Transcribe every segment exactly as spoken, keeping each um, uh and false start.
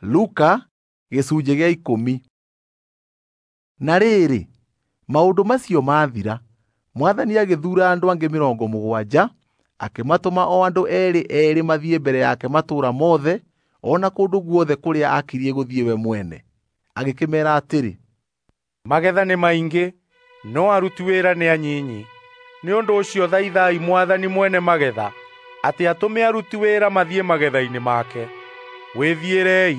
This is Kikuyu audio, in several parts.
Luka gĩcunjĩ gĩa ikũmi. Na rĩrĩ, maũndũ macio mathira, Mwathani agĩthuura andũ angĩ mĩrongo mũgwanja, akĩmatũma o andũ eerĩ eerĩ mathiĩ mbere yake matũũra mothe o na kũndũ guothe kũrĩa akiriĩ gũthiĩ we mwene. Agĩkĩmeera atĩrĩ, Magetha nĩ maingĩ, no aruti wĩra nĩ anyinyi. Nĩ ũndũ ũcio thaithai Mwathani mwene magetha atĩ atũme aruti wĩra mathiĩ magetha-inĩ make. Wĩthiĩrei,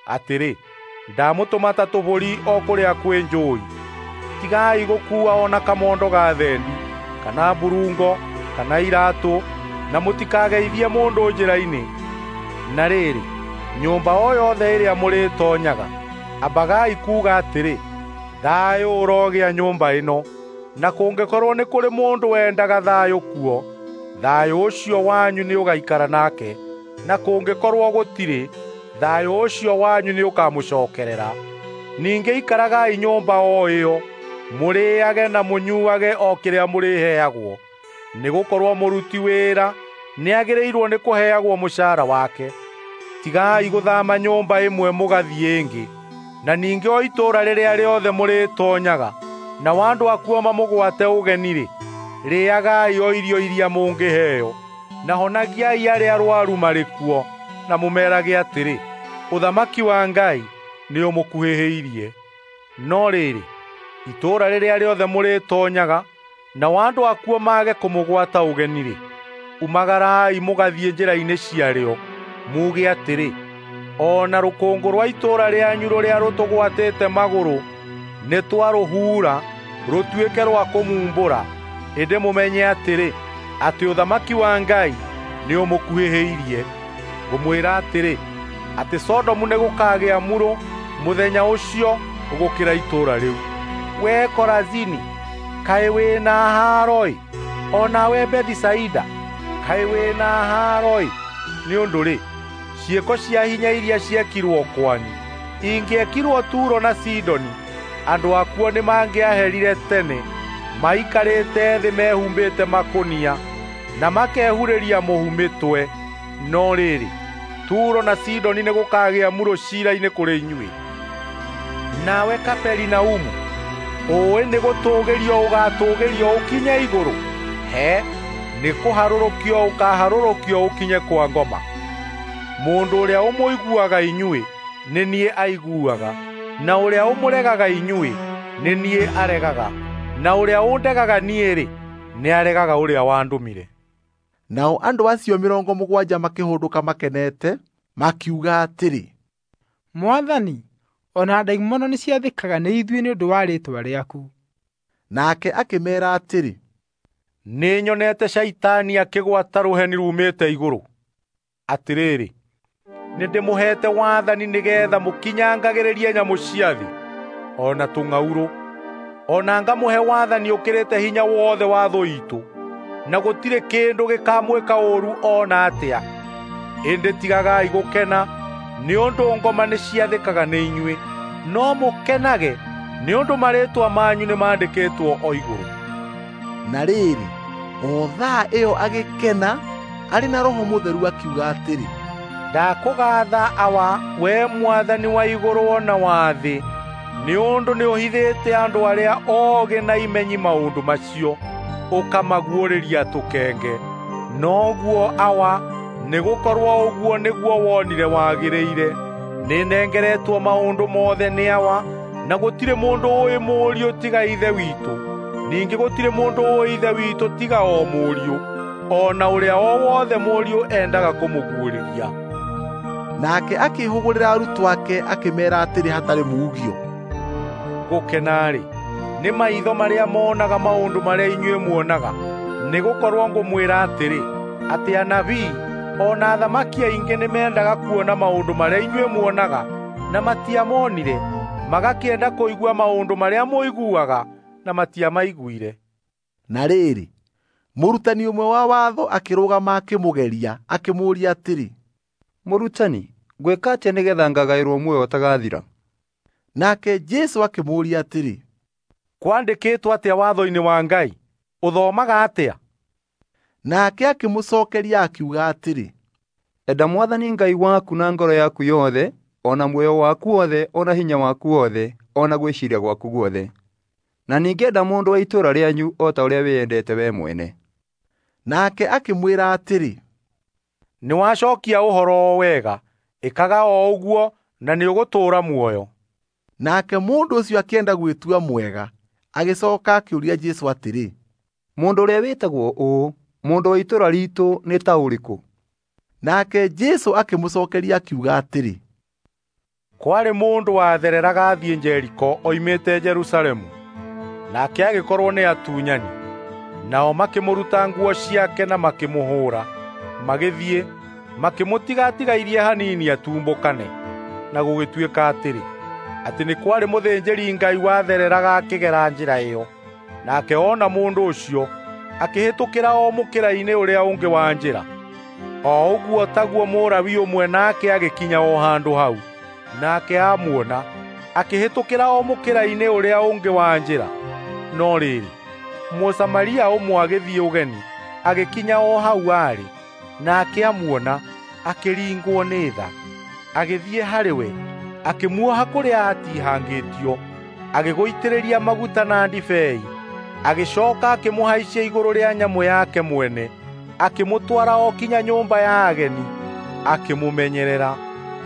atĩrĩ, ndamũtũma ta tũbũri o kũrĩa kwĩ njũũi. Tigai gũkuua o na kamondo ga thendi, kana mburungo, kana iraatũ, na mũtikageithie mũndũ njĩra-inĩ. Na rĩrĩ, nyũmba o yothe ĩrĩa mũrĩtoonyaga, ambagai kuuga atĩrĩ, 'Thayũ ũrogĩa nyũmba ĩno.' Na kũngĩkorwo nĩ kũrĩ mũndũ wendaga thayũ kuo, thayũ ũcio wanyu nĩũgaikara nake, na kũngĩkorwo gũtirĩ, thayũ ũcio wanyu nĩũkamũcookerera. Ningĩ ikaragai nyũmba o ĩyo, mũrĩĩage na mũnyuuage o kĩrĩa mũrĩheagwo, nĩgũkorwo mũruti wĩra nĩagĩrĩirwo nĩ kũheagwo mũcaara wake. Tigai gũthaama nyũmba ĩmwe mũgathiĩ ĩngĩ. Na ningĩ o itũũra rĩrĩa rĩothe mũrĩtoonyaga, nao andũ akuo mamũgwate ũgeni-rĩ, rĩĩagai o irio iria mũngĩheo, na honagiai arĩa arũaru marĩ kuo, na mũmeerage atĩrĩ, 'Ũthamaki wa Ngai nĩũmũkuhĩhĩirie.' No rĩrĩ, itũũra rĩrĩa rĩothe mũrĩtoonyaga, nao andũ akuo mage kũmũgwata ũgeni-rĩ, umagarai mũgathiĩ njĩra-inĩ ciarĩo, muuge atĩrĩ, 'O na rũkũngũ rwa itũũra rĩanyu rũrĩa rũtũgwatĩte magũrũ nĩtwarũhuura rũtuĩke rwa kũmumbũra.' Ĩndĩ mũmenye atĩrĩ, atĩ ũthamaki wa Ngai nĩũmũkuhĩhĩirie. Ngũmwĩra atĩrĩ, atĩ Sodomu nĩgũkagĩa murũ mũthenya ũcio gũkĩra itũũra rĩu. Wee Korazini, kaĩ wĩna haaro-ĩ! O nawe Bethisaida, kaĩ wĩna haaro-ĩ! Nĩ ũndũ-rĩ, ciĩko cia hinya iria ciekirwo kwanyu ingĩekirwo Turo na Sidoni, andũ akuo nĩmangĩaherire tene, maikarĩte thĩ mehumbĩte makũnia na makehurĩria mũhu mĩtwe. No rĩrĩ, Turo na Sidoni nĩgũkagĩa murũ ciira-inĩ kũrĩ inyuĩ. Nawe Kaperinaumu, ũũĩ nĩgũtũũgĩrio ũgaatũũgĩrio ũkinye igũrũ? He, nĩkũharũrũkio ũkaaharũrũkio ũkinye kwa ngoma. Mũndũ ũrĩa ũmũiguaga inyuĩ nĩ niĩ aiguaga, na ũrĩa ũmũregaga inyuĩ nĩ niĩ aregaga, na ũrĩa ũndegaga niĩ-rĩ, nĩaregaga ũrĩa wandũmire. Nao andũ acio mĩrongo mũgwanja makĩhũndũka makenete, makiuga atĩrĩ, Mwathani, o na ndaimono nĩciathĩkaga nĩ ithuĩ nĩ ũndũ wa rĩĩtwa rĩaku. Nake akĩmeera atĩrĩ, Nĩnyonete Shaitani akĩgwata rũheni ruumĩte igũrũ. Atĩrĩrĩ, nĩndĩmũheete wathani nĩgeetha mũkinyangagĩrĩrie nyamũ cia thĩ, o na tũng'aurũ, o na ngamũhe wathani ũkĩrĩte hinya wothe wa thũ iitũ, na gũtirĩ kĩndũ gĩkamwĩka ũũru o na atĩa. Ĩndĩ tigagai gũkena nĩ ũndũ ngoma nĩciathĩkaga nĩ inyuĩ, no mũkenage nĩ ũndũ marĩĩtwa manyu nĩmandĩkĩtwo o igũrũ. Na rĩrĩ, o thaa ĩyo agĩkena arĩ na Roho Mũtheru akiuga atĩrĩ, Ndakũgaatha Awa, wee Mwathani wa igũrũ o na wa thĩ, nĩ ũndũ nĩũhithĩte andũ arĩa oogĩ na imenyi maũndũ macio, ũkamaguũrĩria tũkenge. Noguo Awa, nĩgũkorwo ũguo nĩguo wonire wagĩrĩire. Nĩnengeretwo maũndũ mothe nĩ Awa, na gũtirĩ mũndũ ũũĩ Mũriũ tiga Ithe witũ, ningĩ gũtirĩ mũndũ ũũĩ Ithe witũ tiga o Mũriũ, o na ũrĩa o wothe Mũriũ endaga kũmũguũrĩria. Nake akĩĩhũgũrĩra arutwo ake akĩmeera atĩrĩ hatarĩ muugio, Gũkena-rĩ, nĩ maitho marĩa moonaga maũndũ marĩa inyuĩ muonaga, nĩgũkorwo ngũmwĩra atĩrĩ, atĩ anabii o na athamaki aingĩ nĩmendaga kuona maũndũ marĩa inyuĩ muonaga, na matiamonire, magakĩenda kũigua maũndũ marĩa mũiguaga, na matiamaiguire. Na rĩrĩ, mũrutani ũmwe wa watho akĩrũgama akĩmũgeria, akĩmũũria atĩrĩ, Mũrutani, ngwĩka atĩa nĩgeetha ngagaĩrwo muoyo ũtagathira? Nake Jesũ akĩmũũria atĩrĩ, Kwandĩkĩtwo atĩa watho-inĩ wa Ngai? Ũthomaga atĩa? Nake akĩmũcookeria akiuga atĩrĩ, Enda Mwathani Ngai waku na ngoro yaku yothe, o na muoyo waku wothe, o na hinya waku wothe, o na gwĩciria gwaku guothe. Na ningĩ enda mũndũ wa itũũra rĩanyu o ta ũrĩa wĩyendete we mwene. Nake akĩmwĩra atĩrĩ, Nĩwacokia ũhoro o wega, ĩkaga o ũguo na nĩũgũtũũra muoyo. Nake mũndũ ũcio akĩenda gwĩtua mwega, agĩcoka akĩũria Jesũ atĩrĩ, Mũndũ ũrĩa wĩtagwo ũũ, mũndũ wa itũũra riitũ nĩ ta ũrĩkũ? Nake Jesũ akĩmũcookeria akiuga atĩrĩ, Kwarĩ mũndũ wathereraga athiĩ Jeriko oimĩte Jerusalemu, nake agĩkorwo nĩ atunyani. Nao makĩmũruta nguo ciake na makĩmũhũũra, magĩthiĩ makĩmũtiga atigairie hanini atumbũkane. Na gũgĩtuĩka atĩrĩ, atĩ nĩ kwarĩ mũthĩnjĩri-Ngai wathereraga akĩgera njĩra ĩyo. Nake ona mũndũ ũcio akĩhĩtũkĩra o mũkĩra-inĩ ũrĩa ũngĩ wa njĩra. O ũguo taguo Mũlawi ũmwe nake agĩkinya o handũ hau, nake amuona akĩhĩtũkĩra o mũkĩra-inĩ ũrĩa ũngĩ wa njĩra. No rĩrĩ, Mũsamaria ũmwe agĩthiĩ ũgeni, agĩkinya o hau aarĩ, nake amuona akĩringwo nĩ tha. Agĩthiĩ harĩ we, akĩmuoha kũrĩa aatihangĩtio, agĩgũitĩrĩria maguta na ndibei, agĩcoka akĩmũhaicia igũrũ rĩa nyamũ yake mwene, akĩmũtwara o kinya nyũmba ya ageni, akĩmũmenyerera.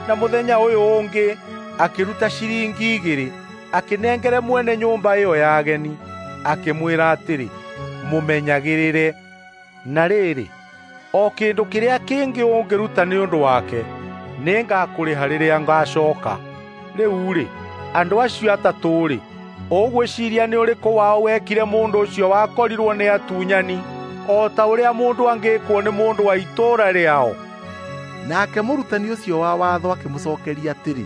Na mũthenya ũyũ ũngĩ akĩruta ciringi igĩrĩ, akĩnengere mwene nyũmba ĩyo ya ageni, akĩmwĩra atĩrĩ, mũmenyagĩrĩre. Na rĩrĩ, o kĩndũ kĩrĩa kĩngĩ ũngĩruta nĩ ũndũ wake, nĩngakũrĩha rĩrĩa ngacooka. Rĩu-rĩ, andũ acio atatũ-rĩ, ũgwĩciiria nĩ ũrĩkũ wao wekire mũndũ ũcio wakorirwo nĩ atunyani o ta ũrĩa mũndũ angĩĩkwo nĩ mũndũ wa itũũra rĩao? Nake mũrutani ũcio wa watho akĩmũcookeria atĩrĩ,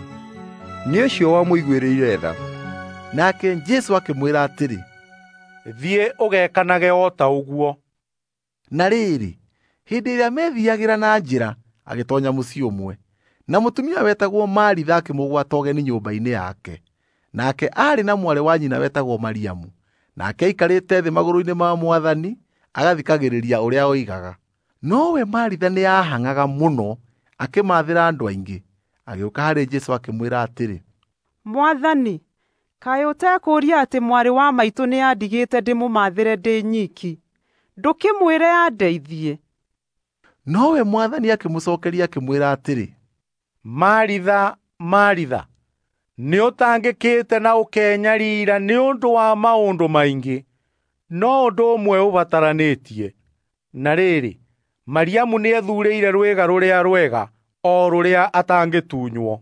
Nĩ ũcio wamũiguĩrĩire tha. Nake Jesũ akĩmwĩra atĩrĩ, Thiĩ ũgekanage o ta ũguo. Na rĩrĩ, hĩndĩ ĩrĩa meethiiagĩra na njĩra, agĩtoonya mũciĩ ũmwe, na mũtumia wetagwo Maritha akĩmũgwata ũgeni nyũmba-inĩ yake. Nake aarĩ na mwarĩ wa nyina wetagwo Mariamu, nake aikarĩte thĩ magũrũ-inĩ ma Mwathani agathikagĩrĩria ũrĩa oigaga. Nowe Maritha nĩahang'aga mũno akĩmaathĩra andũ aingĩ. Agĩũka harĩ Jesũ akĩmwĩra atĩrĩ, Mwathani, kaĩ ũtekũũria atĩ mwarĩ wa maitũ nĩandigĩte ndĩmũmaathĩre ndĩ nyiki? Ndũkĩmwĩre andeithie. Nowe Mwathani akĩmũcookeria akĩmwĩra atĩrĩ, Maritha, Maritha, nĩũtangĩkĩte na ũkenyariira nĩ ũndũ wa maũndũ maingĩ, no ũndũ ũmwe ũbataranĩtie. Na rĩrĩ, Mariamu nĩethuurĩire rwĩga rũrĩa rwega, o rũrĩa atangĩtunywo.